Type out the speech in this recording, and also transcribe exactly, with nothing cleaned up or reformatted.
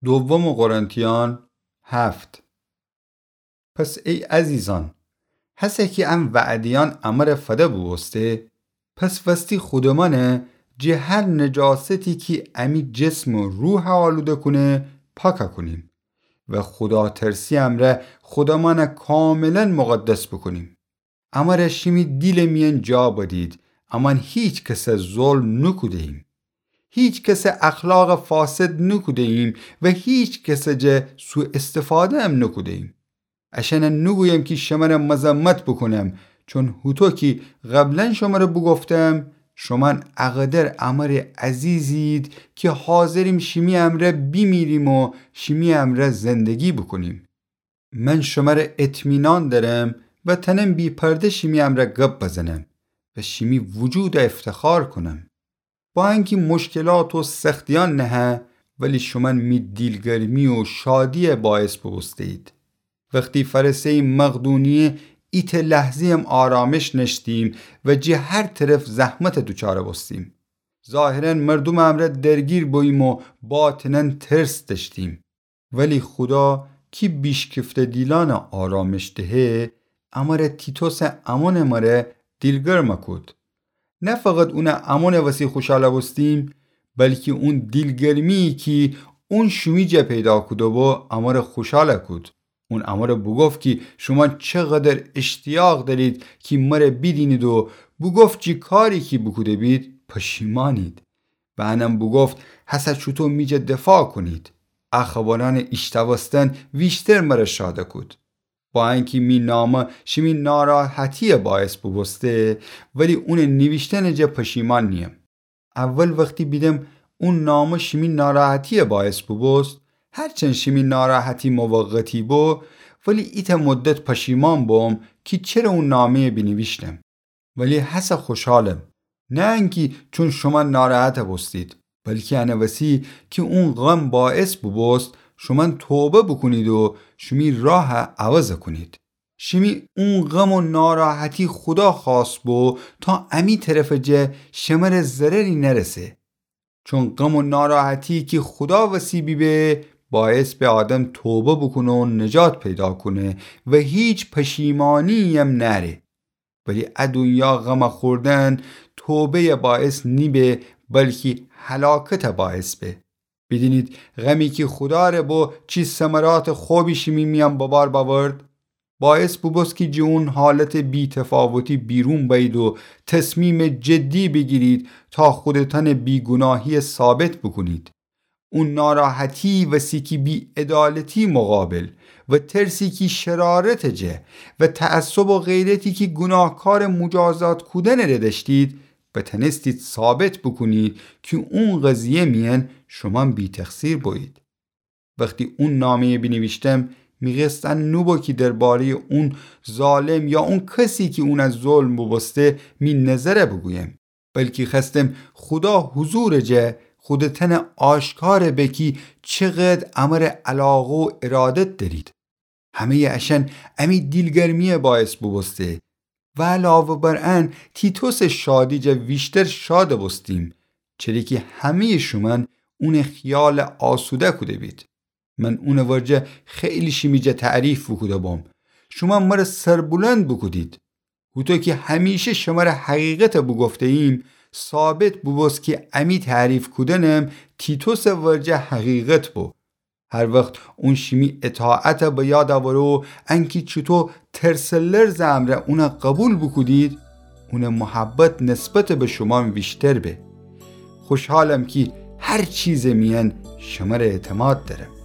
دوم قرنتیان هفت. پس ای عزیزأن، هسه کی ان وعده‌یأن امره فده بوبوسته، پس وستی خودمأنه جه هر نجاستی کی امی جسم و روحه آلوده کونه، پاکه کونیم و خوداترسی امرأ خودمأنه کاملا مقدس بوکونیم. امره شیمی دیلٚ میأن جا بدید، امأن هیچ کسه ظلم نوکوده‌ییم. هیچ کسه اخلاقٚ فاسد نوکوده‌ییم و هیچ کسه جه سوءاستفاده‌یم نوکوده‌ییم. اشأنه نوگویم کی شمره مذمت بوکونم، چون هوطو کی قبلا شمره بوگفتم، شومأن اقدر امره عزیزید کی حاضریم شیمی امرأ بیمیریم و شیمی امرأ زندگی بوکونیم. من شمره اطمینان دأرم و تأنم بی‌پرده شیمی امرأ گب بزنم و شیمی وجوده افتخار کونم. با انکی مشکلات و سختیأن نهه، ولی شومأن می دیلگرمی و شادیه باعث بوبوسته‌یید. وختی فأرسه‌ییم مقدونیه، ایتأ لحظه‌یم آرامش نأشتیم و جه هر طرف زحمته دوچاره بوستیم. ظاهرا مردومٚ امرأ درگیر بوییم و باطنا ترس دأشتیم. ولی خودا کی بیشکفته دیلأنه آرامش دهه، امره تیتوسٚ امونٚ مره دیلگرمه کود. نه فقط اونٚ امونٚ وسی خوشحاله بوستیم، بلکی اون دیلگرمی‌یی کی اون شومی جا پیدا کوده‌بو امره خوشحاله کود. اون امره بوگفت کی شومأن چقدر اشتیاق دأرید کی مره بیدینید و بوگفت جی کاری کی بوکوده‌بید پشیمانید. و انم بوگفت هسه چوطو می جا دفاع کونید. ا خبرأنٚ ایشنوستن ویشتر مره شاده کود. با انکی می نامه شیمی ناراحتیه باعث بوبوسته، ولی اونٚ نیویشتنٚ جا پشیمان نییم. اول وختی بیدم اون نامه شیمی ناراحتیه باعث بوبوست، هرچند شیمی ناراحتی موقتی بو، ولی ایتأ مدت پشیمان بوم کی چره اون نامه‌یه بینیویشتم. ولی هسه خوشحالم، نه انکی چون شومأن ناراحته بوستید، بلکی انٚ وسی کی اون غم باعث بوبوست شومأن توبه بوکونید و شیمی راهه عوضه کونید. شیمی اون غم و ناراحتی خودا خوأست بو تا امی طرفٚ جا شمره ضرری نرسه. چون غم و ناراحتی کی خودا وسی بیبه، باعث به آدم توبه بوکونه و نجات پیدا کونه و هیچ پشیمانی‌یم نأره. ولی ا دونیا غم خوردن توبه‌یٚ باعث نیبه، بلکی هلاکتٚ باعث به. بیدینید غمی کی خودا ره بو چی ثمراتٚ خوبی شیمی میأن ببار بأورد. باعث بوبوست کی جه اون حالتٚ بی‌تفاوتی بیرون بأیید و تصمیمٚ جدی بیگیرید تا خودتأنٚ بیگوناهی‌یه ثابت بوکونید. اون ناراحتی وسی کی بی‌عدالتی مقابل و ترسی کی شرارتٚ جا و تعصب و غیرتی کی گوناهکارٚ مجازات کودنٚ ره دأشتید، بتأنستید ثابت بوکونید کی اون قضیه میأن شومأن بی‌تقصیر بویید. وختی اون نامه‌یه بینیویشتم، می قصد ان نوبو کی درباره‌یٚ اون ظالم یا اون کسی کی اونه ظلم بوبوسته می نظره بوگویم، بلکی خوأستم خودا حضورٚ جا خودتأنه آشکار به کی چقدر امره علاقه و ارادت دأرید. همه‌یٚ اشأن امی دیلگرمی‌یه باعث بوبوسته و علاوه بر ان تیتوسٚ شادی جا ویشتر شادٚ بوستیم، چره کی همه‌یٚ شومأن اونٚ خیال آسوده کوده بید. من اونٚ ورجه خیلی شیمی جا تعریف بوکوده بوم. شومأن مره سربلند بوکودید. هوطو کی همیشه شمره حقیقته بوگفته‌ییم، ثابت بوبوست کی امی تعریف کودنم تیتوسٚ ورجه حقیقت بو. هر وخت اون شیمی اطاعته به یاد اوره و انکی چوطو ترس و لرزٚ امرأ اونه قبول بوکودید، اونٚ محبت نسبت به شومأن ویشتر به. خوشحالم کی هر چیزٚ میأن شمره اعتماد دأرم.